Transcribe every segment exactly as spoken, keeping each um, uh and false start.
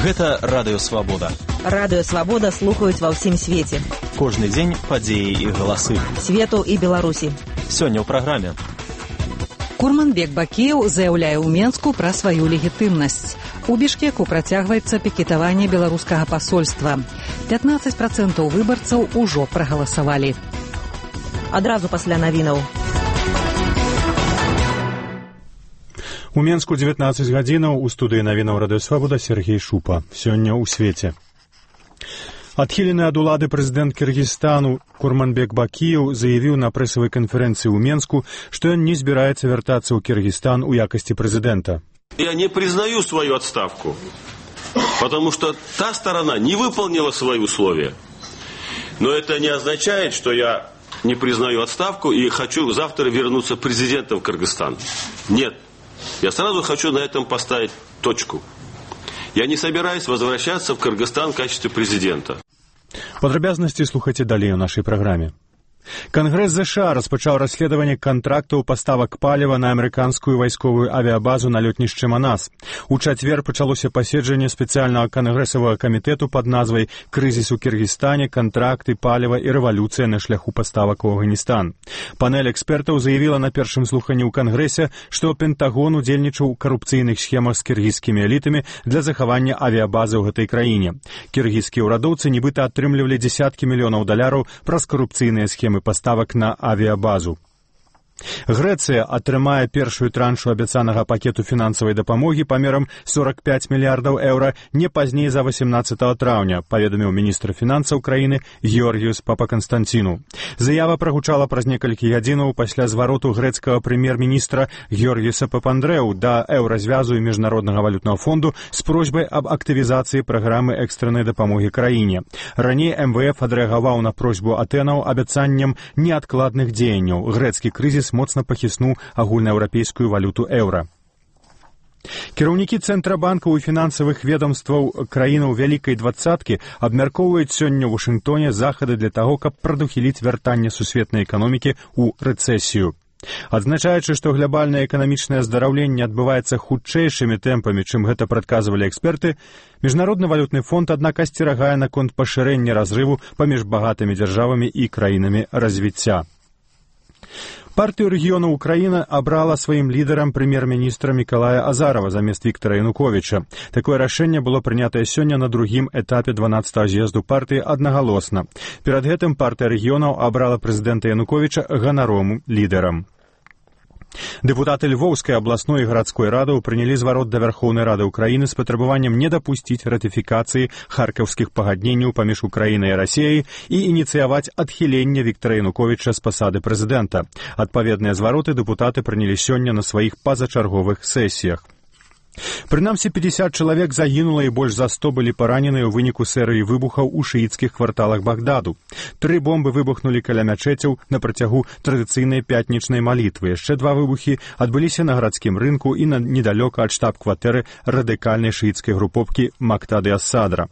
Гэта Радыё Свабода. Радыё Свабода слухаюць ва ўсім свеце. Кожны дзень падзеі і галасы. Свету і Беларусі. Сёння ў праграме. Курманбек Бакіеў заяўляе ў Менску пра сваю легітымнасць. У Бішкеку працягваецца пікетаванне беларускага пасольства. пятнаццаць працэнтаў выбарцаў ужо прагаласавалі. Адразу пасля навінаў. У Менску дзевятнаццаць гадзінаў, у студыі навінаў Радыё Свабода Сергей Шупа. Сёння ў свеце. Адхілены ад улады прэзідэнт Кыргызстану Курманбек Бакіеў заявіў на прэсавай канферэнцыі ў Менску, што ён не збіраецца вяртацца ў Кыргызстан у якасці прэзідэнта. Я не признаю свою отставку, потому что та сторона не выполнила свои условия. Но это не означает, что я не признаю отставку и хочу завтра вернуться президентом в Кыргызстан. Нет. Я сразу хочу на этом поставить точку. Я не собираюсь возвращаться в Кыргызстан в качестве президента. Падрабязнасці слухайце далей у нашай праграме. Кангрэс ЗША распачаў расследаванне кантрактаў паставак паліва на амерыканскую вайсковую авіябазу на лётнішчы Манас. У чацвер пачалося паседжанне спецыяльнага кангрэсавага камітэту пад назвай «Крызіс у Кіргізстане, кантракты, паліва і рэвалюцыя на шляху паставак у Афганістан». Панель экспертаў заявіла на першым слуханні ў Кангрэсе, што Пентагон удзельнічаў у карупцыйных схемах з кіргізскімі элітамі для захавання авіябазы ў гэтай краіне. Кіргізскія ўрадоўцы нібыта атрымлівалі дзесяткі мільёнаў даляраў праз карупцыйныя схемы паставак на авіябазу. Грэцыя атрымае першую траншу абяцанага пакету фінансавай дапамогі памерам сорок пять мільярдаў еўра не пазней за восемнадцатага траўня, паведаміў міністр фінансаў краіны Георгіус Папаканстанціну. Заява прагучала праз некалькі гадзінаў пасля звароту грэцкага прэм'ер-міністра Георгіуса Папандрэу да еўразвязу і міжнароднага валютнага фонду з просьбай аб актывізацыі праграмы экстрэннай дапамогі краіне. Раней эм вэ эф адрэагаваў на просьбу Атэнаў абяцаннем неадкладных дзеянняў. Грэцкі крызіс моцна пахіснуў агульнаеўрапейскую валюту еўра. Кіраўнікі цэнтрабанкаў і фінансавых ведомстваў краінаў Вялікай двадцаткі абмяркоўваюць сёння ў Вашынгтоне захады для таго, каб прадухіліць вяртанне сусветнай эканомікі ў рэцэсію. Адзначаючы, што глобальнае эканамічнае аздараўленне адбываецца хутчэйшымі тэмпамі, чым гэта прадказвалі эксперты, Міжнародны валютны фонд, аднак, асцерагае наконт пашырэння разрыву паміж багатымі дзяржавамі і краінамі развіцця. Партыю рэгіёну Украіна абрала сваім лідарам прэм'ер-міністра Мікалая Азарова замест Віктара Януковіча. Такое рашэнне было прынятае сёння на другім этапе дванаццатага з'езду партыі аднагалосна. Перад гэтым партыя рэгіёнаў абрала прэзідэнта Януковіча ганаровым лідарам. Дэпутаты Львоўскай абласной і гарадской радаў прынялі зварот да Вярхоўнай рады ўкраіны з патрабаваннем не дапусціць ратыфікацыі харкаўскіх пагадненняў паміж Украінай і Расіяй і ініцыяваць адхіленне Віктара Януковіча з пасады прэзідэнта. Адпаведныя звароты дэпутаты прынялі сёння на сваіх пазачарговых сесіях. Прынамсі пятьдесят чалавек загінула і больш за сто былі параненыя ў выніку серыі выбухаў у шыіцкіх кварталах Багдаду. Тры бомбы выбухнулі каля мячэцяў на працягу традыцыйнай пятнічнай малітвы. Яшчэ два выбухі адбыліся на гарадскім рынку і на недалёка ад штаб-кватэры радыкальнай шыіцкай групоўкі Мактады ас-Садра.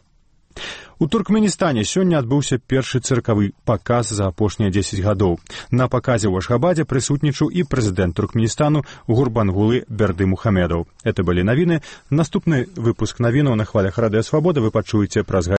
У Туркменістане сёння адбыўся першы цыркавы паказ за апошнія дзесяць гадоў. На паказе ў Ашхабадзе прысутнічаў і прэзідэнт Туркменістану Гурбангулы Бердымухамедаў. Это былі навіны. Наступны выпуск навінаў на хвалях Радыё Свабода вы пачуеце праз